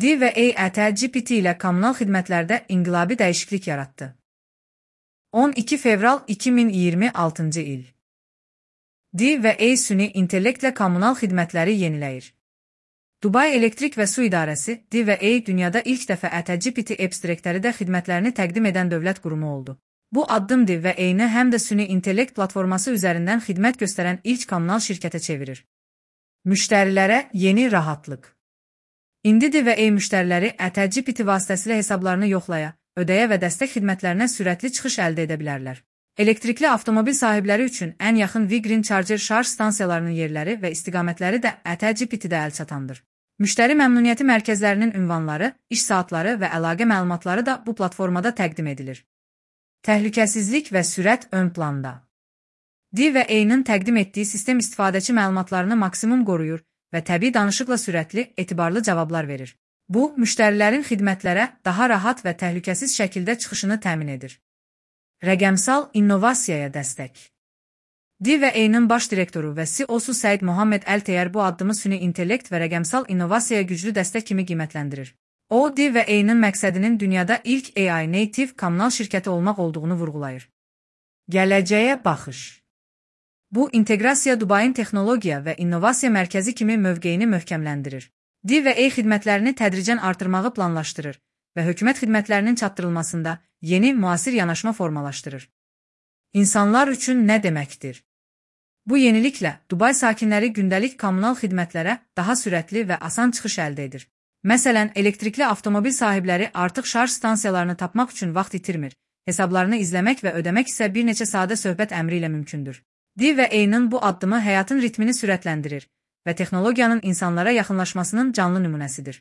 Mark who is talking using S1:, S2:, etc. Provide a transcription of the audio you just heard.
S1: D və E GPT ilə kommunal xidmətlərdə inqilabi dəyişiklik yaratdı. 12 fevral 2026 il. D və E süni intellektlə kommunal xidmətləri yeniləyir. Dubai Elektrik və Su İdarəsi, D və E dünyada ilk dəfə GPT abstraktləri də xidmətlərini təqdim edən dövlət qurumu oldu. Bu addım D və E-ni həm də süni intellekt platforması üzərindən xidmət göstərən ilk kommunal şirkətə çevirir. Müştərilərə yeni rahatlıq. İndi D və E müştəriləri GPT vasitəsilə hesablarını yoxlaya, ödəyə və dəstək xidmətlərinə sürətli çıxış əldə edə bilərlər. Elektrikli avtomobil sahibləri üçün ən yaxın V-Green Charger şarj stansiyalarının yerləri və istiqamətləri də GPT-də əl çatandır. Müştəri məmnuniyyəti mərkəzlərinin ünvanları, iş saatları və əlaqə məlumatları da bu platformada təqdim edilir. Təhlükəsizlik və sürət ön planda. D və E-nin təqdim etdiyi sistem istifadəçi məlumatlarını maksimum qoruyur və təbii danışıqla sürətli, etibarlı cavablar verir. Bu, müştərilərin xidmətlərə daha rahat və təhlükəsiz şəkildə çıxışını təmin edir. Rəqəmsal innovasiyaya dəstək. D və E-nin baş direktoru və CEO-su Səid Mohammed Əl-Teyər bu addımı süni intellekt və rəqəmsal innovasiyaya güclü dəstək kimi qiymətləndirir. O, D və E-nin məqsədinin dünyada ilk AI native kommunal şirkəti olmaq olduğunu vurğulayır. Gələcəyə baxış. Bu, inteqrasiya Dubayın texnologiya və innovasiya mərkəzi kimi mövqeyini möhkəmləndirir. D və E xidmətlərini tədricən artırmağı planlaşdırır və hökumət xidmətlərinin çatdırılmasında yeni, müasir yanaşma formalaşdırır. İnsanlar üçün nə deməkdir? Bu yeniliklə Dubay sakinləri gündəlik kommunal xidmətlərə daha sürətli və asan çıxış əldə edir. Məsələn, elektrikli avtomobil sahibləri artıq şarj stansiyalarını tapmaq üçün vaxt itirmir, hesablarını izləmək və ödəmək isə bir neçə sadə söhbət əmri ilə mümkündür. D və E-nin bu addımı həyatın ritmini sürətləndirir və texnologiyanın insanlara yaxınlaşmasının canlı nümunəsidir.